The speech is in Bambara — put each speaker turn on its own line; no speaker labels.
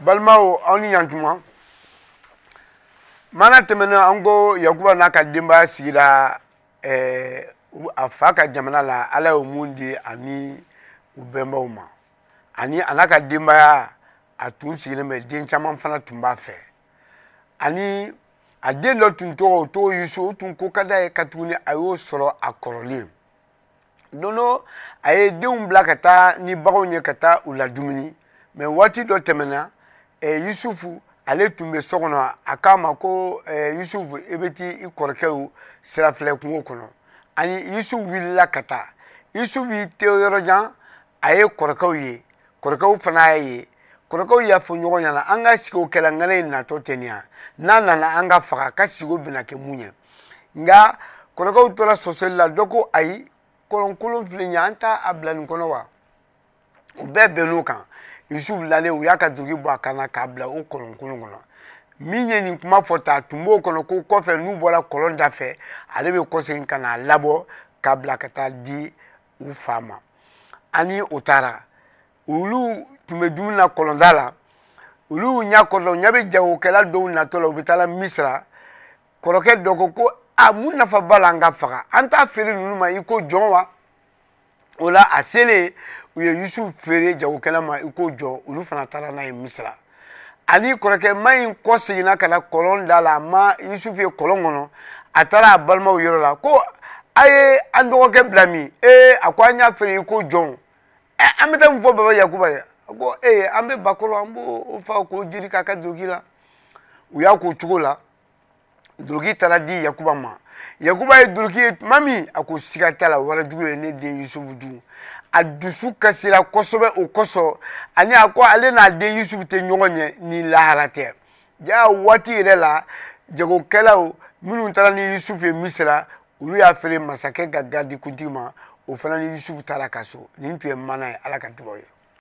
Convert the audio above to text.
Balimaw, aw ni ɲantuma. Mana tɛmɛnen, an ko Yakuba n'a ka denbaya sigira a fa ka jamana la. Ala ye mun di ani u bɛnbaw ma, ani a n'a ka denbaya, a tun sigilen bɛ. Den caman fana tun b'a fɛ, ani a den dɔ tun tɔgɔ, o tɔgɔ Yusu. O tun ko ka d'a ye, ka tuguni a y'o sɔrɔ a kɔrɔlen. Don dɔ, a ye denw bila ka taa ni baganw ye, ka taa u ladumuni. Mɛ waati dɔ tɛmɛna, Yusufu, ale tun bɛ so kɔnɔ. A k'a ma ko: "Yusufu, i bɛ t'i kɔrɔkɛw sira filɛ kungo kɔnɔ." Ani Yusufu wulila ka taa. Yusufu y'i to yɔrɔ jan, a ye kɔrɔkɛw ye. Kɔrɔkɛw fana y'a ye. Kɔrɔkɛw y'a fɔ ɲɔgɔn ɲɛna: "An ka sigi o kɛla ŋana in natɔ tɛ nin yan. N'a nana, an ka faga. Ka sigo bɛna kɛ mun ye?" Nka kɔrɔkɛw tora sɔsɔli la. Dɔ ko: "Ayi, kɔlɔnkolon filɛ nin ye, an t'a a bila nin kɔnɔ wa?" U bɛɛ bɛnn'o kan. Yusufu lalen, u y'a ka duloki bɔ a kan na k'a bila o kɔlɔnkolon kɔnɔ. Min ye nin kuma fɔ ta, a tun b'o kɔnɔ ko kɔfɛ, n'u bɔra kɔlɔn da fɛ, ale bɛ kɔsegin ka n'a labɔ k'a bila ka taa di u fa ma. Ani o taara, olu tun bɛ dumuni na kɔlɔnda la. Olu ɲɛ kɔrɔla, u ɲɛ bɛ jagokɛla dɔw natɔ la, u bɛ taa Misira. Kɔrɔkɛ dɔ ko ko: "A mun nafa b'a la an ka faga? An t'a feere ninnu ma i ko jɔn wa?" O la, a selen, u ye Yusufu feere jagokɛla ma i ko jɔn. Olu fana taara n'a ye Misira. Ani kɔrɔkɛ ma in kɔ seginna ka na kɔlɔn da la, a ma Yusufu ye kɔlɔn kɔnɔ. A taara a balimaw yɔrɔ la ko: "A ye an dɔgɔkɛ bila min?" Ee, a ko: "An y'a feere i ko jɔn. Ɛ, an bɛ taa mun fɔ baba Yakuba ye?" A ko: "Ee, an bɛ bakɔrɔ, an b'o fa k'o jiri k'a ka duloki la." U y'a k'o cogo la. Duloki taara di Yakuba ma. Yakuba ye duloki ye tuma min, a ko: "Siga t'a la, warajugu ye ne den Yusufu dun." A dusu kasira kosɛbɛ o kosɔn. Ani a ko ale n'a den Yusufu tɛ ɲɔgɔn ɲɛ ni lahara tɛ. Ja waati yɛrɛ la, jagokɛlaw minnu taara ni Yusufu ye Misira, olu y'a feere masakɛ ka garidi kuntigi ma. O fana ni Yusufu taara ka so. Nin tun ye mana ye. Ala ka dugawu ye.